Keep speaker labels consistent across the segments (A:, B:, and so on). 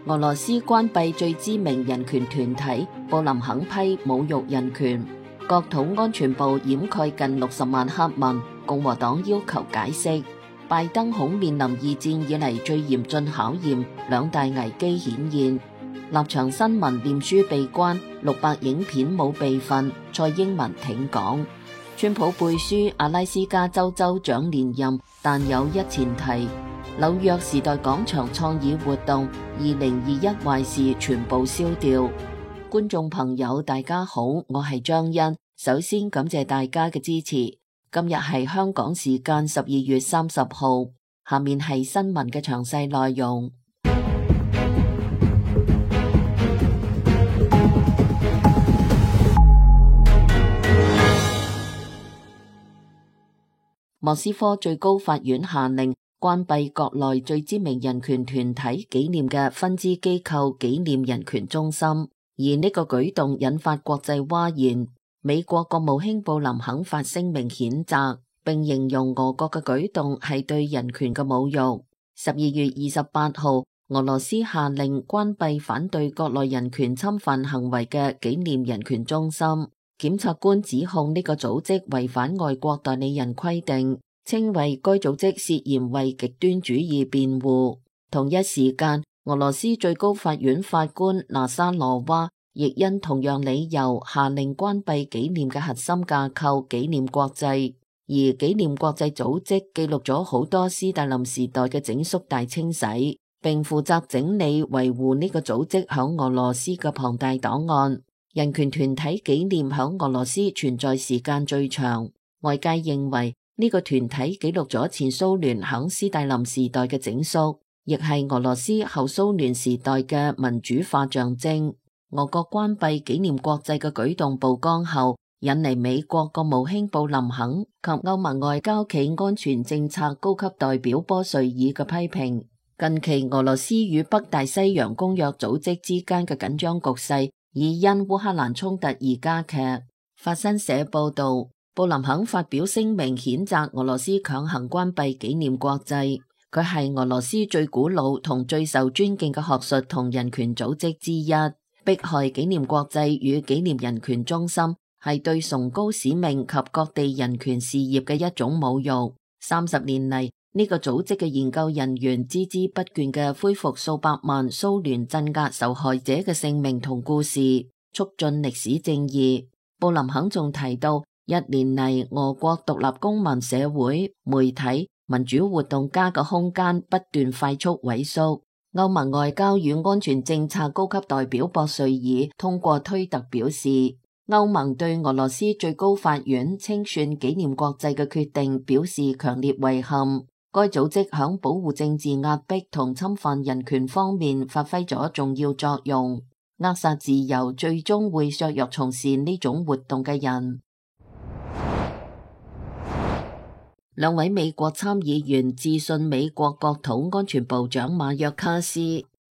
A: 俄羅斯關閉最知名人權團體，布林肯批侮辱人權。國土安全部掩蓋近60萬黑文，共和黨要求解釋。拜登恐面臨二戰以嚟最嚴峻考驗，兩大危機顯現。立場新聞臉書被關，600影片冇備份，蔡英文挺港。川普背書阿拉斯加州州長連任，但有一前提：紐約時代廣場創意活動2021壞事全部燒掉。觀眾朋友大家好，我係張欣，首先感謝大家嘅支持。今日係香港時間12月30號，下面係新聞嘅詳細內容。莫斯科最高法院下令關閉國內最知名人權團體紀念嘅分支機構紀念人權中心，而呢個舉動引發國際譁然。美國國務卿布林肯發聲明譴責，並形容俄國嘅舉動係對人權嘅侮辱。12月28號，俄羅斯下令關閉反對國內人權侵犯行為嘅紀念人權中心。檢察官指控呢個組織違反外國代理人規定，稱為該組織涉嫌為極端主義辯護。同一時間，俄羅斯最高法院法官納沙羅娃亦因同樣理由下令關閉紀念嘅核心架構紀念國際，而紀念國際組織記錄咗好多斯大林時代嘅整肅大清洗，並負責整理維護呢個組織響俄羅斯嘅龐大檔案。人權團體紀念響俄羅斯存在時間最長，外界認為呢個團體記錄咗前蘇聯響斯大林時代嘅整肅，亦係俄羅斯後蘇聯時代嘅民主化象徵。俄國關閉紀念國際嘅舉動曝光後，引嚟美國國務卿布林肯及歐盟外交暨安全政策高級代表波瑞爾嘅批評。近期俄羅斯與北大西洋公約組織之間嘅緊張局勢已因烏克蘭衝突而加劇。法新社報道，布林肯發表聲明譴責俄羅斯強行關閉紀念國際，佢係俄羅斯最古老同最受尊敬嘅學術同人權組織之一。迫害紀念國際與紀念人權中心係對崇高使命及各地人權事業嘅一種侮辱。30年嚟，呢個組織嘅研究人員孜孜不倦嘅恢復數百萬蘇聯鎮壓受害者嘅姓名同故事，促進歷史正義。布林肯仲提到，1年嚟俄國獨立公民社會、媒體、民主活動家嘅空間不斷快速萎縮。歐盟外交與安全政策高級代表博瑞爾通過推特表示，歐盟對俄羅斯最高法院清算紀念國際嘅決定表示強烈遺憾。該組織響保護政治壓迫同侵犯人權方面發揮咗重要作用，扼殺自由最終會削弱從事呢種活動嘅人。2位美國參議員致信美國國土安全部長馬約卡斯，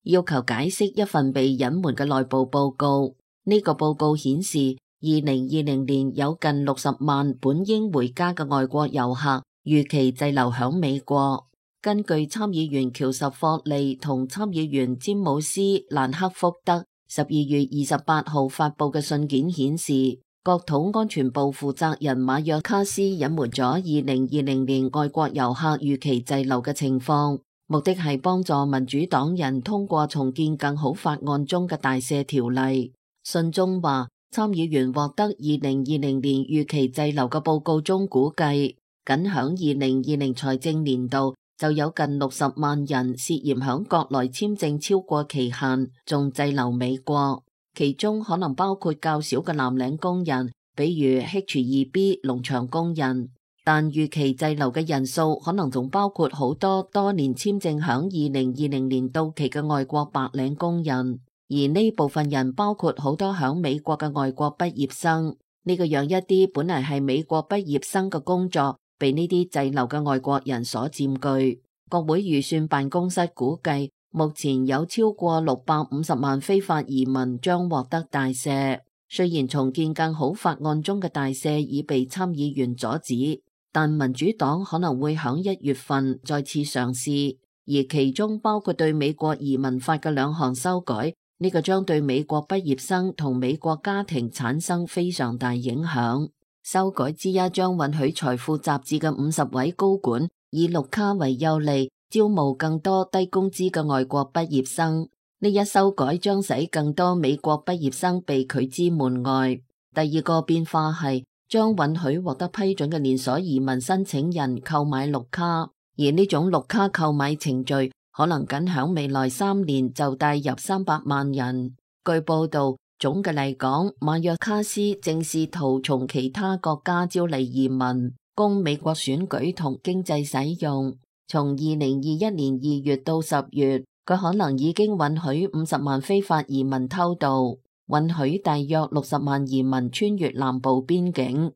A: 要求解釋一份被隱瞞嘅內部報告。呢個報告顯示，2020年有近60萬本應回家嘅外國遊客預期滯留響美國。根據參議員喬什霍利同參議員詹姆斯蘭克福德12月28號發佈嘅信件顯示，國土安全部負責人馬約卡斯隱瞞咗2020年外國遊客預期滯留嘅情況，目的係幫助民主黨人通過重建更好法案中嘅大赦條例。信中話，參議員獲得2020年預期滯留嘅報告中估計，僅響2020財政年度就有近60萬人涉嫌響國內簽證超過期限，仲滯留美國。其中可能包括較少嘅藍領工人，比如 H2B 農場工人，但預期滯留嘅人數可能仲包括好多多年簽證響2020年到期嘅外國白領工人，而呢部分人包括好多響美國嘅外國畢業生。呢個讓一啲本嚟係美國畢業生嘅工作被呢啲滯留嘅外國人所佔據。國會預算辦公室估計，目前有超過650萬非法移民將獲得大赦。雖然重建更好法案中嘅大赦已被參議員阻止，但民主黨可能會響1月份再次嘗試。而其中包括對美國移民法嘅2項修改，呢個將對美國畢業生同美國家庭產生非常大影響。修改之一將允許財富雜誌嘅50位高管以綠卡為優利，招募更多低工資嘅外國畢業生。呢一修改將使更多美國畢業生被拒之門外。第二個變化係將允許獲得批准嘅連鎖移民申請人購買綠卡，而呢種綠卡購買程序可能僅響未來3年就帶入300萬人。據報道，總嘅嚟講，馬約卡斯正試圖從其他國家招嚟移民，供美國選舉同經濟使用。從2021年2月到10月，佢可能已經允許50萬非法移民偷渡，允許大約60萬移民穿越南部邊境。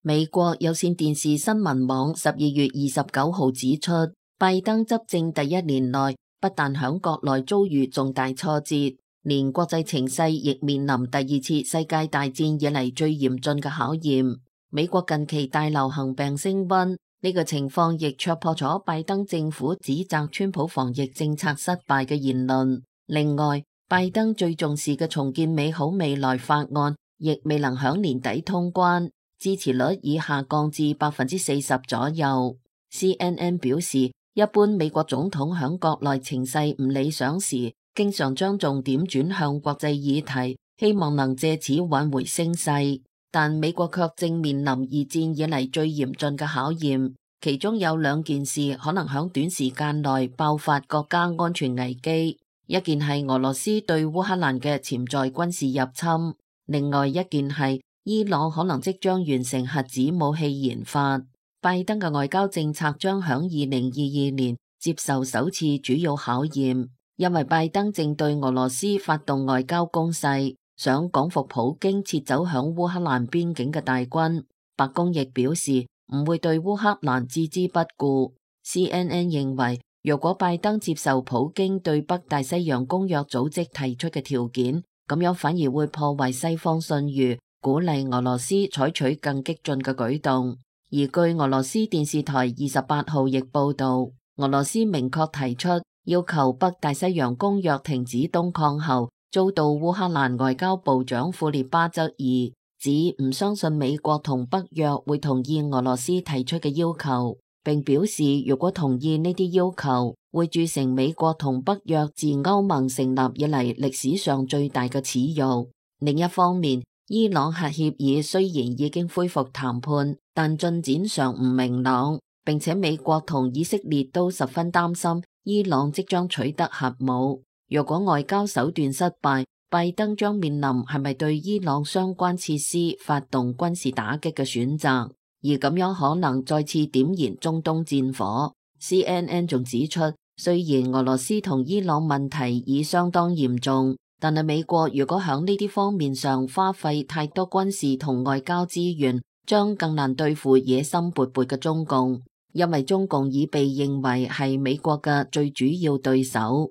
A: 美國有線電視新聞網12月29號指出，拜登執政第1年內不但響國內遭遇重大挫折，連國際情勢亦面臨第2次世界大戰以嚟最嚴峻嘅考驗。美國近期大流行病升溫，呢個情況亦戳破咗拜登政府指責川普防疫政策失敗嘅言論。另外，拜登最重視嘅重建美好未來法案亦未能響年底通關，支持率已下降至40%左右。CNN 表示，一般美國總統響國內情勢唔理想時，經常將重點轉向國際議題，希望能借此挽回聲勢。但美國卻正面臨2戰以嚟最嚴峻嘅考驗，其中有2件事可能響短時間內爆發國家安全危機。一件係俄羅斯對烏克蘭嘅潛在軍事入侵，另外一件係伊朗可能即將完成核子武器研發。拜登嘅外交政策將響2022年接受首次主要考驗，因為拜登正對俄羅斯發動外交攻勢，想趕赴普京撤走響烏克蘭邊境嘅大軍。白宮亦表示唔會對烏克蘭置之不顧。CNN 認為，若果拜登接受普京對北大西洋公約組織提出嘅條件，咁樣反而會破壞西方信譽，鼓勵俄羅斯採取更激進嘅舉動。而據俄羅斯電視台28號亦報道，俄羅斯明確提出要求北大西洋公約停止東擴後，遭到烏克蘭外交部長庫列巴質疑，指唔相信美國同北約會同意俄羅斯提出嘅要求，並表示如果同意呢啲要求，會鑄成美國同北約自歐盟成立以嚟歷史上最大嘅恥辱。另一方面，伊朗核協議雖然已經恢復談判，但進展上唔明朗，並且美國同以色列都十分擔心伊朗即將取得核武。若果外交手段失敗，拜登將面臨係咪對伊朗相關設施發動軍事打擊嘅選擇，而咁樣可能再次點燃中東戰火。CNN 仲指出，雖然俄羅斯同伊朗問題已相當嚴重，但係美國如果響呢啲方面上花費太多軍事同外交資源，將更難對付野心勃勃嘅中共，因為中共已被認為係美國嘅最主要對手。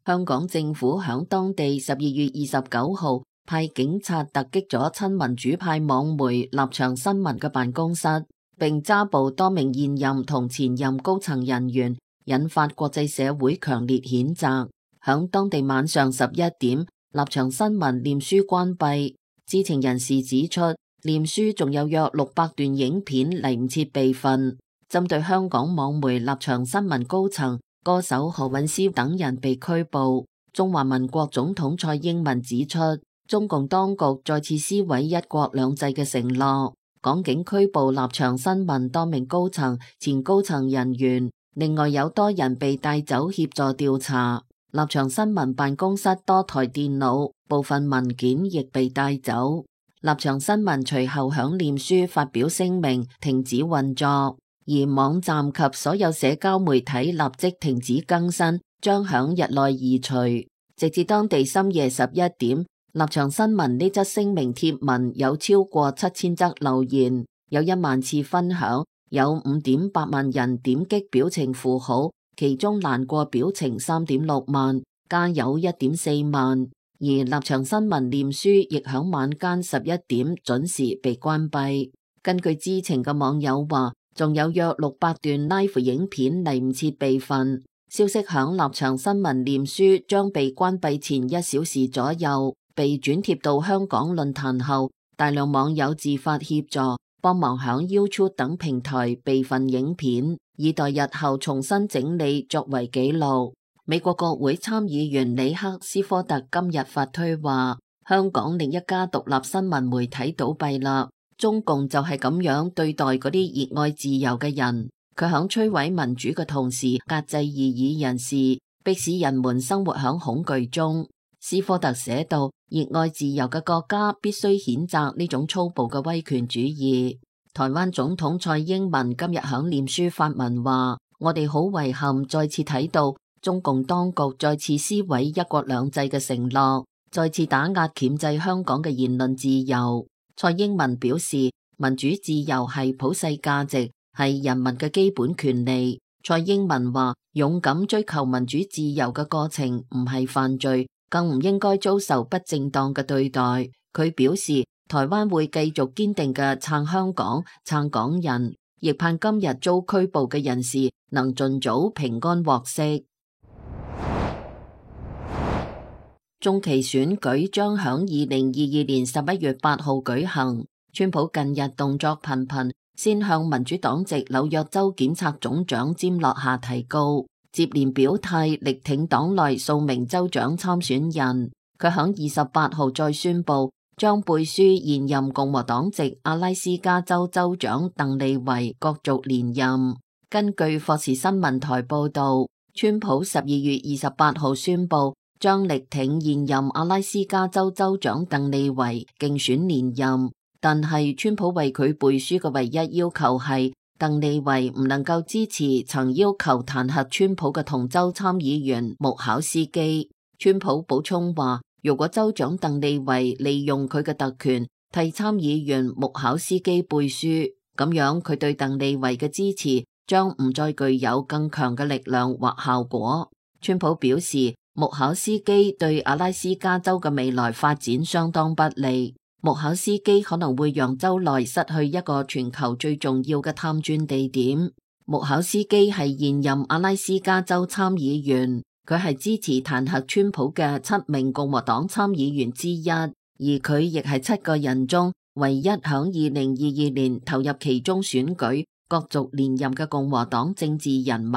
A: 香港政府響當地12月29號派警察突擊咗親民主派網媒立場新聞嘅辦公室，並抓捕多名現任同前任高層人員，引發國際社會強烈譴責。響當地晚上11點，立場新聞臉書關閉。知情人士指出，臉書仲有約600段影片嚟唔切備份。針對香港網媒立場新聞高層、歌手何韻詩等人被拘捕，中華民國總統蔡英文指出，中共當局再次撕毀一國兩制嘅承諾，港警拘捕立場新聞多名高層、前高層人員，另外有多人被帶走協助調查。立場新聞辦公室多台電腦、部分文件亦被帶走。立場新聞隨後響臉書發表聲明，停止運作。而網站及所有社交媒體立即停止更新，將響日內移除。直至當地深夜11點，立場新聞呢則聲明貼文有超過7000則留言，有1萬次分享，有5.8萬人點擊表情符號，其中難過表情3.6萬，加油1.4萬。而立場新聞臉書亦響晚間11點準時被關閉。根據知情嘅網友話，仲有約600段 live 影片嚟唔切備份。消息響立場新聞臉書將被關閉前1小時左右被轉貼到香港論壇後，大量網友自發協助，幫忙響 YouTube 等平台備份影片，以待日後重新整理作為記錄。美國國會參議員里克斯科特今日發推話，香港另一家獨立新聞媒體倒閉啦。中共就係咁樣對待嗰啲熱愛自由嘅人，佢響摧毀民主嘅同時，壓制異議人士，迫使人們生活響恐懼中。斯科特寫道，熱愛自由嘅國家必須譴責呢種粗暴嘅威權主義。台灣總統蔡英文今日響臉書發文話，我哋好遺憾再次睇到中共當局再次撕毀一國兩制嘅承諾，再次打壓鉗制香港嘅言論自由。蔡英文表示，民主自由係普世價值，係人民嘅基本權利。蔡英文話，勇敢追求民主自由嘅過程唔係犯罪，更唔應該遭受不正當嘅對待。佢表示，台灣會繼續堅定嘅撐香港、撐港人，亦盼今日遭拘捕嘅人士能盡早平安獲釋。中期選舉將響2022年11月8號舉行。川普近日動作頻頻，先向民主黨籍紐約州檢察總長詹洛夏提告，接連表態力挺黨內數名州長參選人。佢響28號再宣布將背書現任共和黨籍阿拉斯加州州長鄧利維角逐連任。根據霍士新聞台報道，川普12月28號宣布將力挺現任阿拉斯加州州長鄧利維競選連任，但係川普為佢背書嘅唯一要求係鄧利維唔能夠支持曾要求彈劾川普嘅同州參議員穆考斯基。川普補充話，如果州長鄧利維利用佢嘅特權替參議員穆考斯基背書，咁樣佢對鄧利維嘅支持將唔再具有更強嘅力量或效果。川普表示，穆考斯基對阿拉斯加州嘅未來發展相當不利。穆考斯基可能會讓州內失去一個全球最重要嘅探鑽地點。穆考斯基係現任阿拉斯加州參議員，佢係支持彈劾川普嘅7名共和黨參議員之一，而佢亦係7個人中唯一響2022年投入其中選舉角逐連任嘅共和黨政治人物。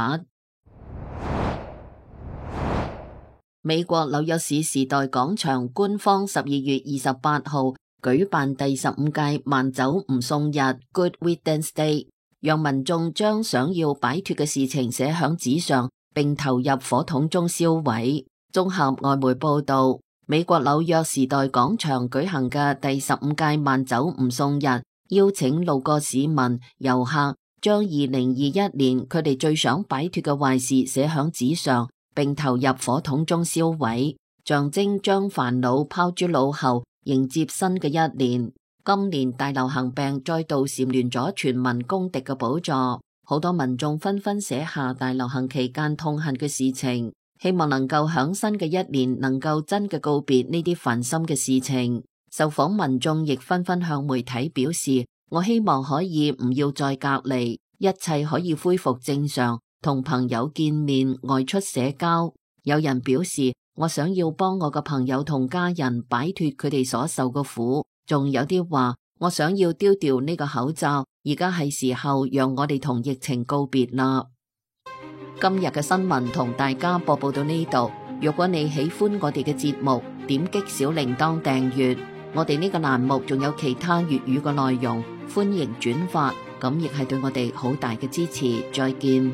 A: 美國紐約市時代廣場官方12月28號舉辦第15屆慢走唔送日 Good Riddance Day， 讓民眾將想要擺脫嘅事情寫響紙上，並投入火桶中燒毀。綜合外媒報道，美國紐約時代廣場舉行嘅第15屆慢走唔送日，邀請路過市民、遊客將2021年佢哋最想擺脫嘅壞事寫響紙上，並投入火桶中燒毀，象徵將煩惱拋諸腦後，迎接新嘅一年。今年大流行病再度蟬聯咗全民公敵嘅寶座，好多民眾紛紛寫下大流行期間痛恨嘅事情，希望能夠響新嘅一年能夠真嘅告別呢啲煩心嘅事情。受訪民眾亦紛紛向媒體表示，我希望可以唔要再隔離，一切可以恢復正常，同朋友見面、外出社交。有人表示，我想要幫我嘅朋友同家人擺脫佢哋所受嘅苦。仲有啲話，我想要丟掉呢個口罩，而家係時候讓我哋同疫情告別啦。今日嘅新聞同大家播報到呢度。如果你喜歡我哋嘅節目，點擊小鈴鐺訂閱。我哋呢個欄目仲有其他粵語嘅內容，歡迎轉發，咁亦係對我哋好大嘅支持。再見。